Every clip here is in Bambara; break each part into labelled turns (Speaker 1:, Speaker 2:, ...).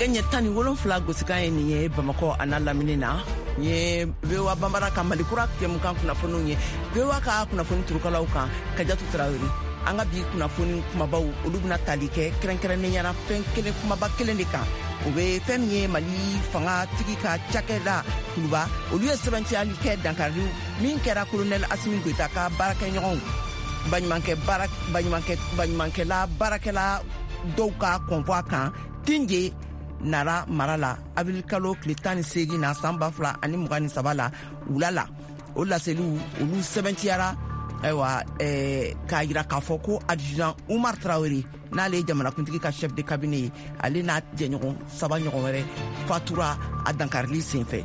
Speaker 1: Nɛgɛ ɲɛ 17 gosikan ye nin ye Bamakɔ a n'a lamini na. Nin ye VOA Banbara ka Mali kura jɛmukan kunnafoniw ye. VOA ka kunnafoni turukalaw kan Kajatu Tarawele. An ka bi kunnafoni kumabaw olu bɛna tali kɛ kɛrɛnkɛrɛnnenya la fɛn kelen kumaba kelen de kan. O bɛ fɛn min ye Mali fangatigi ka cakɛda kuluba olu ye sɛbɛntiyali kɛ dankari min kɛra kolonɛli Asimi Goyita ka baarakɛɲɔgɔnw baɲumankɛla baarakɛla dɔw ka convoi kan Tinje Nara mara la avril kalo tile 18 na san 2023 la wula la. O laseliw olu sɛbɛntiyara ayiwa k'a yira k'a fɔ ko adjudant Umar Traoré n'ale ye jamanakuntigi ka chef de cabinet ye, ale n'a jɛɲɔgɔn saba ɲɔgɔn wɛrɛ fatura a dankarili senfɛ.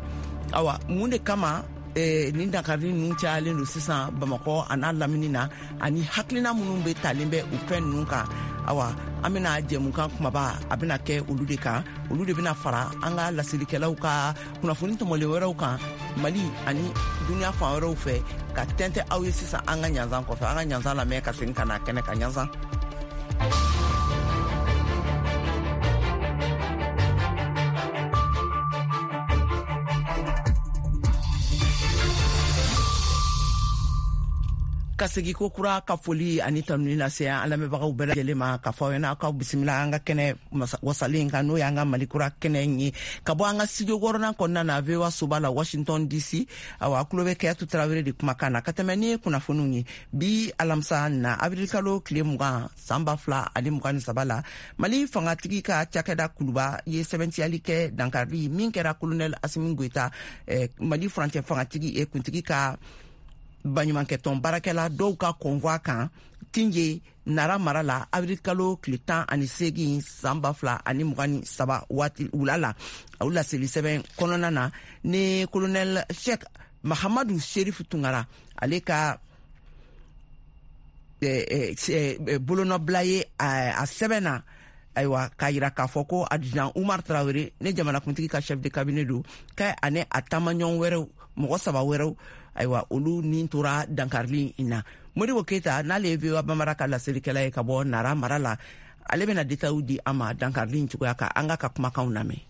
Speaker 1: Awa mun de kama nin dankarili ninnu cayalen don sisan Bamakɔ a n'a lamini na, ani hakilina minnu bɛ talen bɛ o fɛn ninnu kan? Awa an bɛna jɛmukan kumaba a bɛna kɛ olu de kan. Olu de bɛna fara an ka laselikɛlaw ka kunnafoni tɔmɔlen wɛrɛw kan Mali ani duniya fan wɛrɛw fɛ ka tɛntɛ aw ye sisan an ka ɲanzan kɔfɛ. An ka ɲanzan lamɛn ka segin ka na kɛnɛ kan. Ɲanzan. Ka segi ko kura ka foli ani tanuni lase an lamɛnbagaw bɛɛ lajɛlen ma, ka fɔ aw ɲɛna aw bisimila an ka kɛnɛ wasalen kan, n'o y'an ka Mali kura kɛnɛ ye, ka bɔ an ka studio wɔɔrɔnan kɔnɔna na VOA soba la Washington DC. Awa a tulo bɛ Kayatu Tarawele de kumakan na ka tɛmɛ ni kunnafoniw ye. Bi alamisa na avril kalo tile 20 san 2023 la, Mali fangatigi ka cakɛda kuluba ye sɛbɛntiyali kɛ dankarili min kɛra kolonɛl Asimi Goyita Mali furancɛ fangatigi kuntigi ka baɲumankɛtɔn baarakɛla dɔw ka convoi kan Tinje Nara mara la avril kalo tile 18 san 2023 waati wula la. O laseli sɛbɛn kɔnɔna na ni kolonɛl Sheikh Mahamadu Sherif Tunkara ale ka bolonɔbila ye a sɛbɛn na, ayiwa k'a yira k'a fɔ ko adjudant Umar Traoré ne jamanakuntigi ka chef de cabinet don, k'a ani a taamaɲɔgɔn wɛrɛw mɔgɔ saba wɛrɛw, ayiwa olu nin tora dankarili in na. Modibo Keyita n'ale ye VOA Bambara ka laselikɛla ye ka bɔ Nara mara la, ale bɛna détails di an ma dankarili in cogoya kan. An ka kumakanw lamɛn.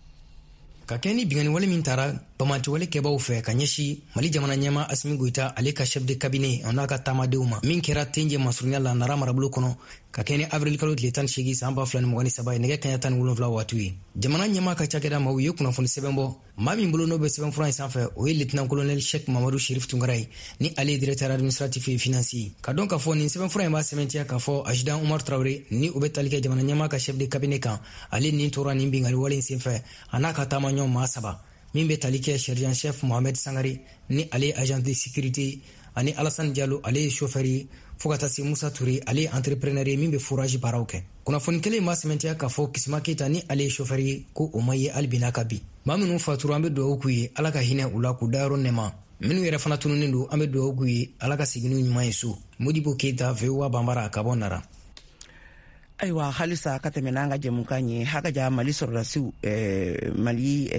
Speaker 2: Ka kɛ ni binkanni wale min tara banbaanciwale kɛbaw fɛ ka ɲɛsin Mali jamana ɲɛma Asimi Goyita ale ka chef de cabinet a n'a ka taamadenw ma, min kɛra Tenje masurunya la Nara marabolo kɔnɔ ka kɛ ni avril kalo tile 18 san 2023 ye nɛgɛ kaɲa 17 waatiw ye, jamana ɲɛma ka cakɛda maaw ye kunnafoni sɛbɛn bɔ. Maa min bolo n'o bɛ sɛbɛnfura in sanfɛ, o ye lieutenant colonel Sheikh Mamadu Sherif Tunkara ye, ni ale ye directeur administratif et financier. Ka dɔn k'a fɔ nin sɛbɛnfura in b'a sɛbɛntiya k'a fɔ adjudant Umar Traoré ni o bɛ tali kɛ jamana ɲɛma ka chef de cabinet kan, ale nin tora nin binkanni wale in senfɛ, a n'a ka taamaɲɔgɔn maa saba, min bɛ tali kɛ sergent chef Mohamed Sangare ni ale ye agent de sécurité, ani Alassane Diallo ale ye chauffeur ye, fo ka taa se Musa Touré ale ye entrepreneur ye min bɛ forage baaraw kɛ. Kunnafoni kelen in b'a sɛmɛntiya k'a fɔ Kisima Keyita ni ale ye chauffeur ye, ko o ma ye hali bi n'a ka bi. Maa minnu fatura, an bɛ dugawu k'u ye, Ala ka hinɛ u la k'u dayɔrɔ nɛma. Minnu yɛrɛ fana tununnen don, an bɛ dugawu k'u ye, Ala ka segin n'u ɲuman ye so. Modibo Keyita, VOA Banbara, ka bɔ Nara.
Speaker 1: Ayiwa halisa ka tɛmɛ n'an ka jɛmukan ye, hakaja Mali sɔrɔdasiw Mali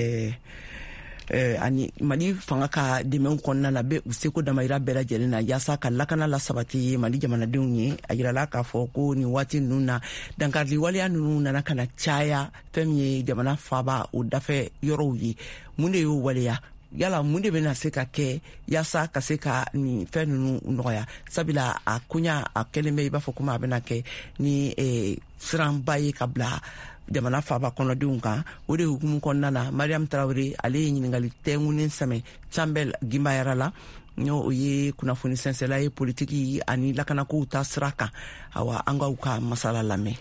Speaker 1: ani Mali fanga ka dɛmɛw kɔnɔna na bɛ u seko damayira bɛɛ lajɛlen na yaasa ka lakana la sabati Mali jamanadenw ye. A yirala k'a fɔ ko nin waati ninnu na dankarili waleya ninnu nana ka na caya fɛn min ye jamana faaba o dafɛ yɔrɔw ye. Mun de y'o waleya? Yala mun de bɛna se ka kɛ yaasa ka se ka nin fɛn ninnu nɔgɔya? Sabula a koɲa a kɛlen bɛ i b'a fɔ komi a bɛna kɛ ni siranba ye ka bila jamana faaba kɔnɔdenw kan. O de hukumu kɔnɔna na, Mariam Tarawele ale ye ɲininkali tɛnkunnen sɛmɛ Canbɛl Gimbayara la, n'o o ye kunnafoni sɛnsɛla ye politiki ani lakanakow ta sira kan. Awa an k'aw ka masala lamɛn.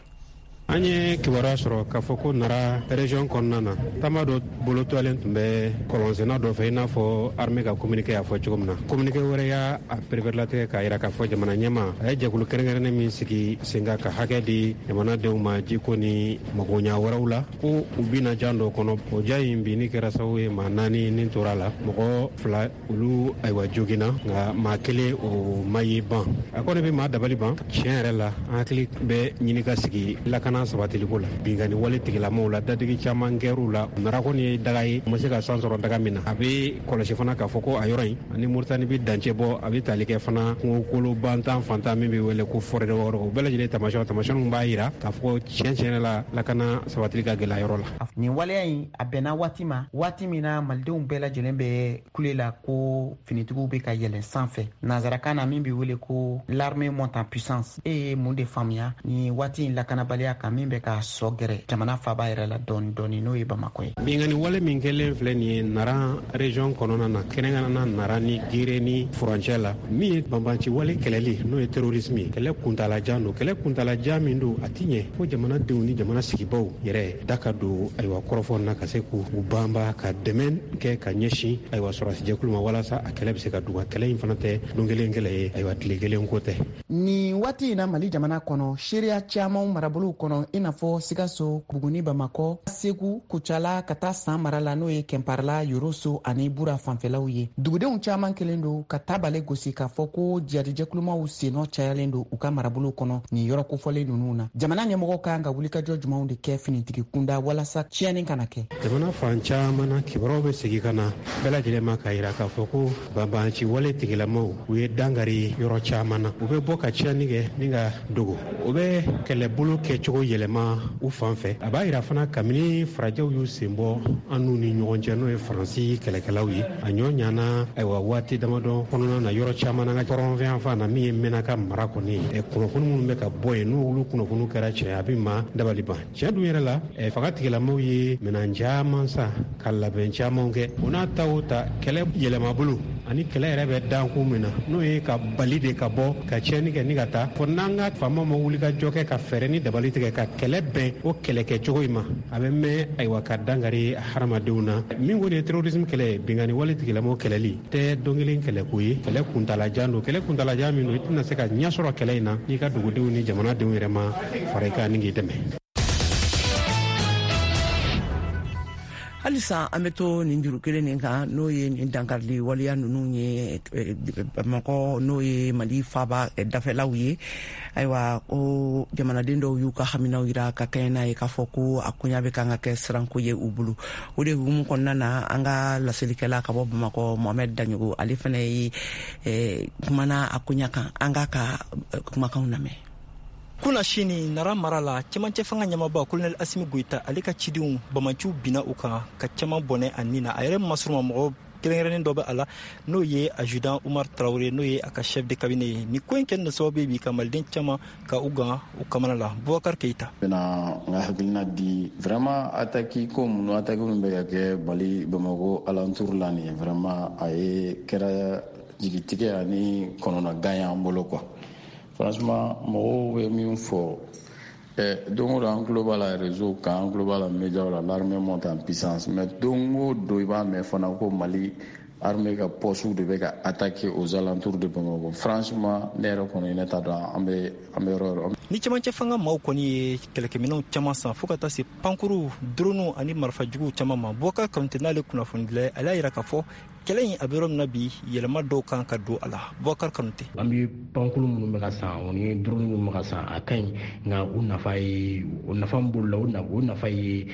Speaker 3: An ye kibaruya sɔrɔ k'a fɔ ko Nara région kɔnɔna na, taama dɔ bolotɔlen tun bɛ kɔlɔnsenna dɔ fɛ, i n'a fɔ armée ka communiqué y'a fɔ cogo min na. Communiqué wɛrɛ y'a pereperelatigɛ k'a yira k'a fɔ jamana ɲɛma a ye jɛkulu kɛrɛnkɛrɛnnen min sigi sen kan ka hakɛ di jamanadenw ma jiko ni magoɲa wɛrɛw la, ko u bina jan dɔ kɔnɔ. O ja in binni kɛra sababu ye maa 4 ni tora la, mɔgɔ 2 olu ayiwa joginna, nka maa 1 o ma ye ban. A kɔni bɛ maa dabali ban tiɲɛ yɛrɛ la. An hakili bɛ ɲini ka sigi lakana lakana sabatiliko la. Binkanni wale tigilamaw la, dadigi caman kɛr'u la. Nara kɔni ye daga ye, u ma se ka san sɔrɔ daga min na. A bɛ kɔlɔsi fana k'a fɔ ko a yɔrɔ in ani Moritani bɛ dancɛ bɔ, a bɛ tali kɛ fana kungokolo bantan fantan min bɛ wele ko forêt de Wagadugu. O bɛɛ lajɛlen taamasiyɛnw b'a jira k'a fɔ tiɲɛ tiɲɛ la, lakana sabatili ka gɛlɛ yɔrɔ la.
Speaker 4: Nin waleya in a bɛnna waati ma, waati min na malidenw bɛɛ lajɛlen bɛ kule la ko finitigiw bɛ ka yɛlɛn sanfɛ, nanzarakan na min bɛ wele ko l'armée monte en puissance. E ye mun de faamuya ni waati in lakanabaliya kan min bɛ ka sɔ gɛrɛ jamana faaba yɛrɛ la dɔɔni dɔɔni, n'o ye Bamakɔ ye?
Speaker 3: Binkanni wale min kɛlen filɛ nin ye Nara région kɔnɔna na, kɛrɛnkɛrɛnnenya Nara ni Gere ni furancɛ la, min ye banbanci wale kɛlɛli, n'o ye terrorisme ye, kɛlɛ kuntalajan don. Kɛlɛ kuntalajan min don, a ti ɲɛ fo jamanadenw ni jamana sigibaw yɛrɛ da ka don ayiwa kɔrɔfɔ na, ka se k'u banba ka dɛmɛ kɛ ka ɲɛsin ayiwa sɔrɔdasijɛkulu ma, walasa a kɛlɛ bɛ se ka duga. Kɛlɛ in fana tɛ don kelen kɛlɛ ye, ayiwa tile kelen ko tɛ.
Speaker 4: Nin waati in na, Mali jamana kɔnɔ, seereya caman marabolow kɔnɔ, i n'a fɔ Sikaso, Buguni, Bamakɔ, Segu, Kucala, ka taa San mara la, n'o ye Kɛnparala, Yoroso ani Bura fanfɛlaw ye, dugudenw caman kelen don ka tabale gosi k'a fɔ ko jihadijɛkulumaw sennɔ cayalen don u ka marabolow kɔnɔ nin yɔrɔ kofɔlen ninnu na. Jamana ɲɛmɔgɔw kan ka wulikajɔ jumɛnw de kɛ finitigi kunda walasa tiɲɛni kana kɛ?
Speaker 3: Jamana fan caman na, kibaruyaw bɛ segin ka na bɛɛ lajɛlen ma k'a yira k'a fɔ ko banbanci wale tigilamaw, u ye dankari yɔrɔ caman na. U bɛ bɔ ka tiɲɛni kɛ ni ka dogo, u bɛ kɛlɛbolo kɛcogo yɛlɛma u fan fɛ. A b'a yira fana, kabini farajɛw y'u sen bɔ an n'u ni ɲɔgɔn cɛ, n'o ye Faransi kɛlɛkɛlaw ye, a ɲɔ ɲana ayiwa waati damadɔ kɔnɔna na yɔrɔ caman na, ka kɔrɔnfɛn fan na, min ye Mɛnaka mara kɔni ye, kunnafoni minnu bɛ ka bɔ yen, n'olu kunnafoni kɛra tiɲɛ, a bɛ maa dabali ban. Tiɲɛ dun yɛrɛ la, fanga tigilamaw ye minɛn caman san ka labɛn caman kɛ. O n'a ta o ta, kɛlɛ yɛlɛmabolo ani kɛlɛ yɛrɛ bɛ dankun min na, n'o ye ka bali de ka bɔ ka tiɲɛni kɛ ni ka taa fɔ, n'an ka faama ma wuli ka jɔ kɛ ka fɛɛrɛ ni dabali tigɛ ka kɛlɛ bɛn o kɛlɛkɛcogo in ma, a bɛ mɛn ayiwa ka dankari hadamadenw na. Min kɔni ye terrorisme kɛlɛ ye, binkanni wale tigilamaw kɛlɛli tɛ don kelen kɛlɛko ye, kɛlɛ kuntalajan don. Kɛlɛ kuntalajan min don, i tɛna se ka ɲɛ sɔrɔ kɛlɛ in na n'i ka dugudenw ni jamanadenw yɛrɛ ma fara i kan ni k'i dɛmɛ.
Speaker 1: Halisa an bɛ to nin juru kelen nin kan, n'o ye nin dankarili waleya ninnu ye Bamakɔ, n'o ye Mali faaba dafɛlaw ye. Ayiwa, ko jamanaden dɔw y'u ka haminaw yira ka kɛɲɛ n'a ye, k'a fɔ ko a koɲa bɛ kan ka kɛ siranko ye u bolo. O de hukumu kɔnɔna na, an ka laselikɛla ka bɔ Bamakɔ, Mohamɛd Daɲogo, ale fana ye kumana a koɲa kan. An k'a ka kumakanw lamɛn.
Speaker 5: Kuna sini, Nara mara la, cɛmancɛ fanga ɲɛmaba Kolonɛli Asimi Goyita, ale ka cidenw, bamanciw binna u kan ka caman bɔnɛ a nin na. A yɛrɛ masuruma mɔgɔ kɛrɛnkɛrɛnnen dɔ bɛ a la, n'o ye adjudant Umar Tarawele, n'o ye a ka chef de cabinet ye. Nin ko in kɛlen don sababu ye bi ka maliden caman ka u gan u kamana la. Bubakar Keita.
Speaker 6: Bɛna n ka hakilina di. Vraiment, attaque ko minnu, attaque minnu bɛ ka kɛ Mali Bamakɔ alentour la nin ye, vraiment a ye kɛra jigitigɛ ani kɔnɔnagan y'an bolo quoi. Franchement, mɔgɔw bɛ min fɔ don o don, an tulo b'a la réseau kan, an tulo b'a la médiaw la, l'armée monte en puissance. Mais don o don, i b'a mɛn fana ko Mali armée ka poste de bɛ ka attaquer aux alentours de Bamako. Franchement, ne yɛrɛ kɔni, ne t'a dɔn an bɛ yɔrɔ yɔrɔ.
Speaker 5: Ni cɛmancɛ fanga maaw kɔni ye kɛlɛkɛminɛnw caman san, fo ka taa se pankuru, drone ani marifajuguw caman ma. Bubakar Kanute, n'ale kunnafonidila ye, ale y'a yira k'a fɔ kɛlɛ in a bɛ yɔrɔ min na bi, yɛlɛma dɔw kan ka don a la. Bubakar Kanute.
Speaker 7: An bɛ pankulu minnu bɛ ka san, o ni drone minnu bɛ ka san, a ka ɲi, nka u nafa ye, o nafa min b'olu la, o nafa ye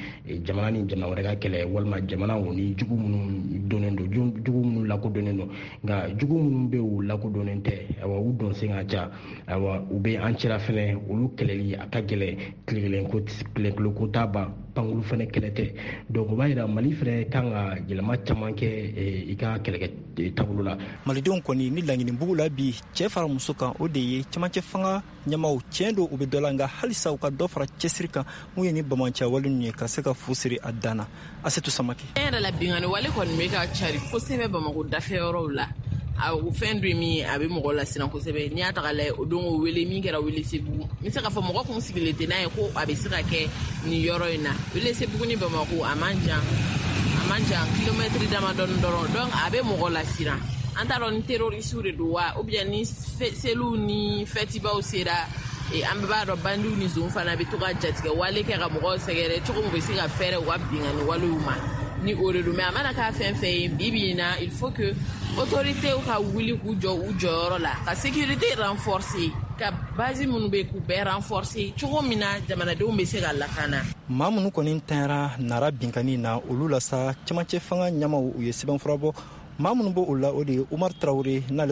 Speaker 7: jamana ni jamana wɛrɛ ka kɛlɛ, walima jamana o ni jugu minnu donnen don, jugu minnu lakodɔnnen don. Nka jugu minnu bɛ yen, u lakodɔnnen tɛ, ayiwa u don sen ka ca, ayiwa u bɛ an cɛla fɛnɛ, olu kɛlɛli a ka gɛlɛn. Tile kelen ko, tile kelen ko t'a ban, pankulu fɛnɛ kɛlɛ tɛ. Donc o b'a yira Mali fɛnɛ kan ka yɛlɛma caman kɛ i ka kɛlɛkɛ taabolo la.
Speaker 5: Malidenw kɔni ni laɲini bugu la bi, cɛɛ fara muso kan, o de ye cɛmancɛ fanga ɲɛmaw, tiɲɛ don u bɛ dɔ la, nka halisa u ka dɔ fara cɛsiri kan mun ye ni bamanciya wale ninnu ye, ka se ka fu siri a dan na. Asetu Samake.
Speaker 8: Tiɲɛ yɛrɛ la, binkanni wale kɔni bɛ ka cari kosɛbɛ Bamakɔ dafɛ yɔrɔw la. A o fɛn dɔ min a bɛ mɔgɔ lasiran kosɛbɛ, n'i y'a ta k'a lajɛ, o don o wele min kɛra Welesebugu, n bɛ se k'a fɔ mɔgɔ kun sigilen tɛ n'a ye ko a bɛ se ka kɛ nin yɔrɔ in na. Welesebugu ni Bamakɔ a man jan, a man jan, kilomɛtiri damadɔni dɔrɔn. Donc a bɛ mɔgɔ lasiran. An t'a dɔn ni terroriste de don wa, ou bien ni seliw ni fɛtibaw sera, an bɛɛ b'a dɔn bandiw ni zon fana bɛ to ka jatigɛ wale kɛ ka mɔgɔw sɛgɛrɛ cogo min, u bɛ se ka fɛɛrɛ u ka binkanni walew ma. Ni o de don, mais a mana k'a fɛn fɛn ye, bi bi in na, il faut que autorités ka wuli k'u jɔ u jɔyɔrɔ la, ka sécurité renforcer, ka base minnu bɛ k'u bɛɛ renforcer, cogo min na jamanadenw bɛ se ka lakana.
Speaker 5: Maa minnu kɔni tanyara Nara binkanni na, olu la sa, cɛmancɛ fanga ɲɛmaw, u ye sɛbɛnfura bɔ. Maa minnu b'o la, o de ye Umar Tarawele n'ale.